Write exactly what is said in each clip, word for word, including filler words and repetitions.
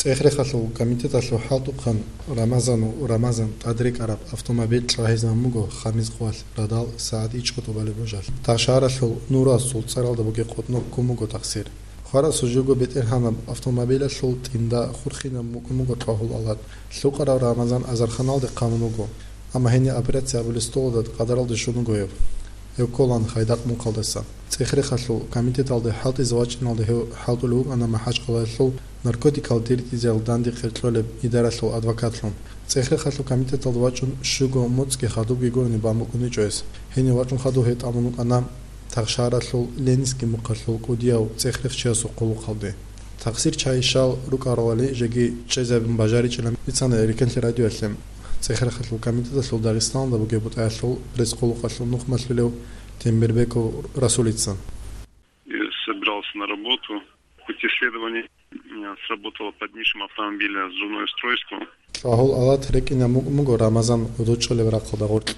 ЦӀехрехалъул комитеталъул хӀалтӀухъан Рамазан ва Рамазан тӀадрекӀараб автомобиль чӀвагьизабун буго Хамизкъоялъ радал сагӀат ичӀго тӀубалеб божалъ. Тахшагьаралъул Нурасул цӀаралда бугеб къотӀноб ккун буго тахсир. Хварасул жуго бетӀергьанаб автомобилалъул тӀинда хурхинаб мукӀун буго Тлагьул Алат. Лъукъарав Рамазан азарханалде хъамун вуго, амма гьенир операция абулеб столалда къадаралде щун вуго гьев. Гьев кколаан Хайдакъ мухъалдаса. ЦӀехрехалъул комитеталде хӀалтӀизе вачӀиналде гьев хӀалтӀулев вукӀана МахӀачхъалаялъул наркотикал диридизел данде къеркьолеб идаралъул адвокатлъун. ЦӀехрехалъул комитеталде вачӀун щуго моцӀги хадубги гурони бан букӀуничӀо гьес. Гьенив вачӀун хадуб гьев тӀамун вукӀана Тахшагьаралъул Ленинский мухъалъул кӀудияв цӀехрех чиясул хъулухъалде. Тахсир чайищал рукӀаралали жеги чӀезабун бажаричӀилан бицана Эркенлъи радиоялъе ЦӀехрехалъул комитеталъул Дагъистаналда бугеб бутӀаялъул пресс-хъулухъалъул нухмалъулев Тембербеков Расулица. И собирался на работу. В пути следования, э, сработало под низшим автомобиля взрывное устройство. Тлагьул Алат рекӀинаб мукӀун буго Рамазан гӀодов чӀолеб рахъалда гъоркь.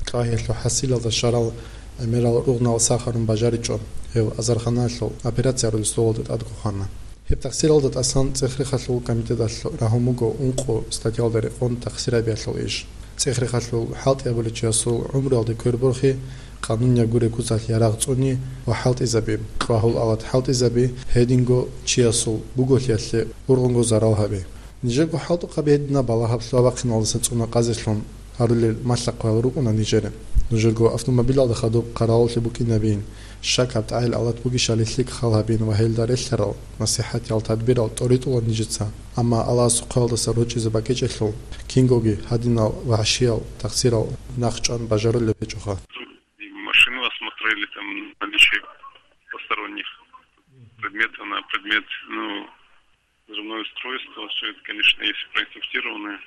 Тлагьиялъул хӀасилалда щварал гӀемерал ругънал сахарун бажаричӀо, гьев азарханалъул операция гьарулеб столалда тӀадго хвана. Гьеб тахсиралда тӀасан ЦӀехрехалъул комитеталъ рагьун буго ункъо статьялда рекъон тахсирабиялъул иш. ЦӀехрехалъул хӀалтӀи абулев чиясул гӀумруялде кверборхи, къанунияб гуреб куцалъ ярагъ цӀуни ва хӀалтӀизаби, Тлагьул Алат хӀалтӀизаби, гьединго чиясул буголъиялъе ургъунго зарал гьаби. Нижерго хӀалтӀухъаби гьединаб балагьаб лъугьа-бахъиналдаса цӀуна къазелъун гьарулел малъа-хъваял рукӀуна нижере. Нужерго автомобилалда хадуб хъаравуллъи букӀинабин, щакаб тӀагӀел Алат бугищали лъикӀ хал гьабин ва гьелда релълъарал насихӀатиял тадбирал тӀоритӀула нижеца, амма Аллагьасул хъваялдаса рорчӀизе бакӀичӀелъул, кингоги гьадинал вагӀшиял тахсирал нахъчӀван бажарулеб гьечӀоха. И машину осмотрели, там, наличие посторонних предметов на предмет, ну, взрывное устройство, все это, конечно, есть проинструктированное.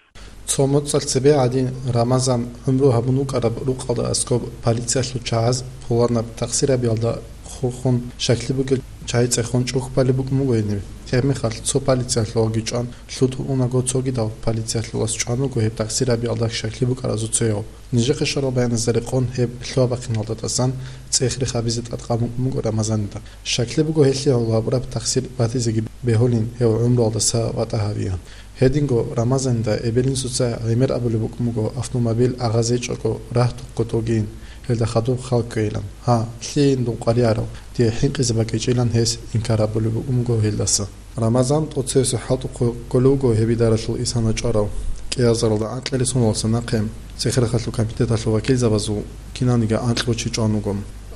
Цо моцӀалъ цебе гӀадин Рамазан гӀумру гьабун вукӀараб рукъалда аскӀоб полициялъул чагӀаз пуланаб тахсирабиялда хурхун щаклъи бугел чагӀи цӀехон чӀухь балеб букӀун буго гьениб. Гьебмехалъ цо полициялъулаги чӀван, лъутун унаго цогидал полициялъулас чӀван вуго гьеб тахсирабиялда щаклъи букӀаразул цояв. Нижехъе щварал баяназда рекъон гьеб лъугьа-бахъиналда тӀасан цӀехрех гьабизе тӀадкъан букӀун буго Рамазанида. Щаклъи буго гьелъие гьавулаб раб тахсир батизеги бегьулин гьев гӀумруялдаса ватӀа гьавиан. Гьединго Рамазанида эбел-инсуца гӀемер абулеб букӀун буго автомобиль агъазечӀого рагьтухъго тӀогин, гьелда хадуб хал ккейилан. Гьа, лъиин дун къваригӀарав, дие хӀинкъизе бакӀичӀилан гьес инкар абулеб букӀун буго гьелдаса. Рамазан тӀоцевесев хӀалтӀухъе кколев вуго гьеб идаралъул исана чӀварав. КӀиазаралда анкьили соналдаса нахъе ЦӀехрехалъул комитеталъул вакилзабазул кинаниги анкьго чи чӀван вуго.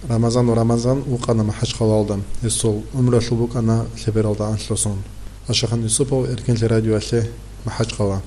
Рамазан ва Рамазан вукъана МахӀачхъалаялда, гьесул гӀумруялъул букӀана лъебералда анлъго сон. Ашахан Юсупов, Эркенлъи радиоялъе, МахӀачхъала.